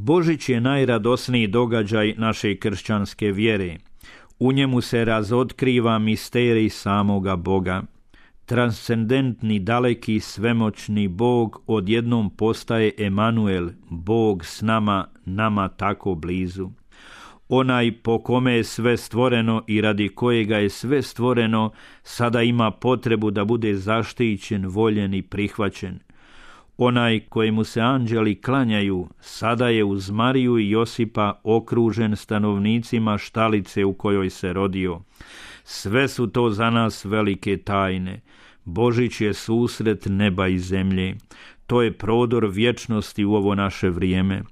Božić je najradosniji događaj naše kršćanske vjere. U njemu se razotkriva misterij samoga Boga. Transcendentni, daleki, svemoćni Bog odjednom postaje Emanuel, Bog s nama, nama tako blizu. Onaj po kome je sve stvoreno i radi kojega je sve stvoreno, sada ima potrebu da bude zaštićen, voljen i prihvaćen. Onaj kojemu se anđeli klanjaju, sada je uz Mariju i Josipa okružen stanovnicima štalice u kojoj se rodio. Sve su to za nas velike tajne. Božić je susret neba i zemlje. To je prodor vječnosti u ovo naše vrijeme.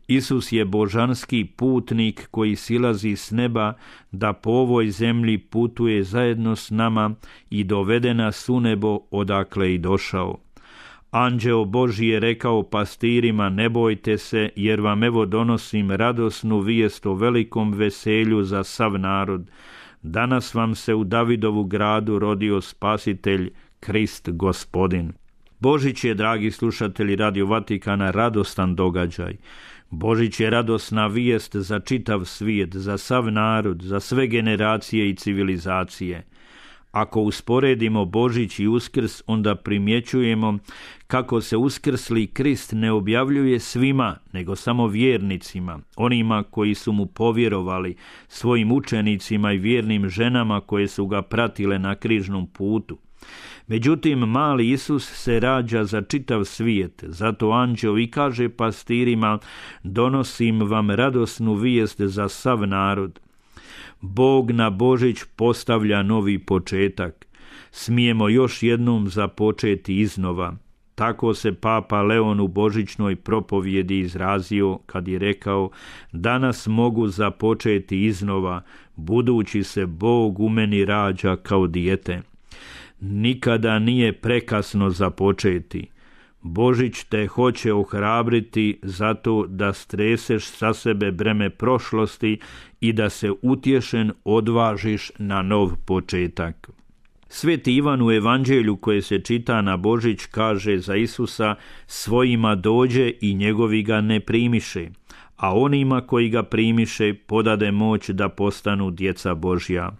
Isus je božanski putnik koji silazi s neba da po ovoj zemlji putuje zajedno s nama i dovede nas u nebo odakle i došao. Anđeo Božji je rekao pastirima: ne bojte se, jer vam evo donosim radosnu vijest o velikom veselju za sav narod. Danas vam se u Davidovu gradu rodio Spasitelj, Krist Gospodin. Božić je, dragi slušatelji Radio Vatikana, radostan događaj. Božić je radosna vijest za čitav svijet, za sav narod, za sve generacije i civilizacije. Ako usporedimo Božić i Uskrs, onda primjećujemo kako se uskrsli Krist ne objavljuje svima, nego samo vjernicima, onima koji su mu povjerovali, svojim učenicima i vjernim ženama koje su ga pratile na križnom putu. Međutim, mali Isus se rađa za čitav svijet, zato anđeo i kaže pastirima: donosim vam radosnu vijest za sav narod. Bog na Božić postavlja novi početak. Smijemo još jednom započeti iznova. Tako se Papa Leon u božićnoj propovjedi izrazio kad je rekao: danas mogu započeti iznova, budući se Bog u meni rađa kao dijete. Nikada nije prekasno započeti. Božić te hoće ohrabriti zato da streseš sa sebe breme prošlosti i da se utješen odvažiš na nov početak. Sveti Ivan u evanđelju koje se čita na Božić kaže za Isusa: svojima dođe i njegovi ga ne primiše, a onima koji ga primiše podade moć da postanu djeca Božja.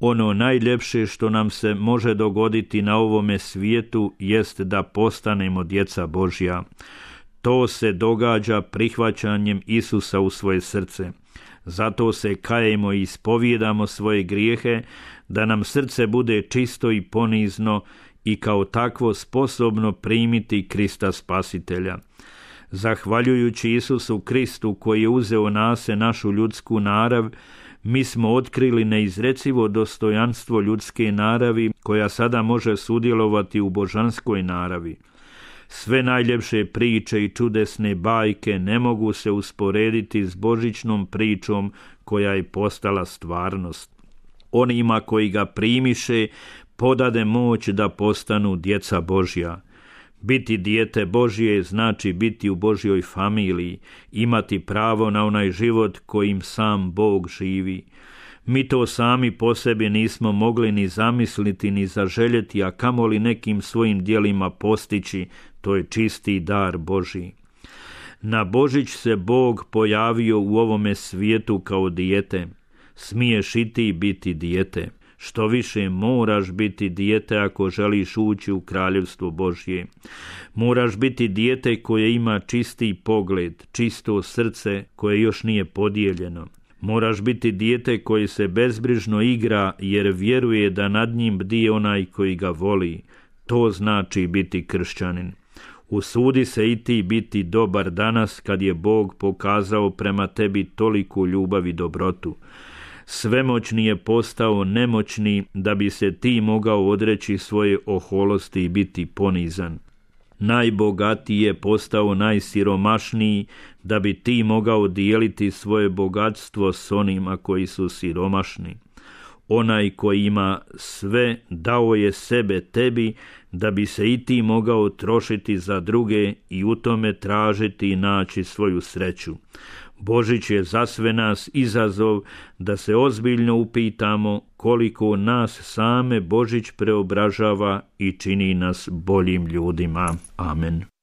Ono najljepše što nam se može dogoditi na ovome svijetu jest da postanemo djeca Božja. To se događa prihvaćanjem Isusa u svoje srce. Zato se kajemo i ispovijedamo svoje grijehe, da nam srce bude čisto i ponizno i kao takvo sposobno primiti Krista Spasitelja. Zahvaljujući Isusu Kristu koji je uzeo na se našu ljudsku narav, mi smo otkrili neizrecivo dostojanstvo ljudske naravi koja sada može sudjelovati u božanskoj naravi. Sve najljepše priče i čudesne bajke ne mogu se usporediti s božićnom pričom koja je postala stvarnost. Onima koji ga primiše podade moć da postanu djeca Božja. Biti dijete Božje znači biti u Božjoj familiji, imati pravo na onaj život kojim sam Bog živi. Mi to sami po sebi nismo mogli ni zamisliti ni zaželjeti, a kamoli nekim svojim djelima postići, to je čisti dar Božji. Na Božić se Bog pojavio u ovome svijetu kao dijete. Smiješ i ti biti dijete. Što više, moraš biti dijete ako želiš ući u kraljevstvo Božje. Moraš biti dijete koje ima čisti pogled, čisto srce koje još nije podijeljeno. Moraš biti dijete koje se bezbrižno igra jer vjeruje da nad njim bdije onaj koji ga voli. To znači biti kršćanin. Usudi se i ti biti dobar danas kad je Bog pokazao prema tebi toliku ljubav i dobrotu. Svemoćni je postao nemoćni da bi se ti mogao odreći svoje oholosti i biti ponizan. Najbogatiji je postao najsiromašniji da bi ti mogao dijeliti svoje bogatstvo s onima koji su siromašni. Onaj koji ima sve dao je sebe tebi da bi se i ti mogao trošiti za druge i u tome tražiti i naći svoju sreću. Božić je za sve nas izazov da se ozbiljno upitamo koliko nas same Božić preobražava i čini nas boljim ljudima. Amen.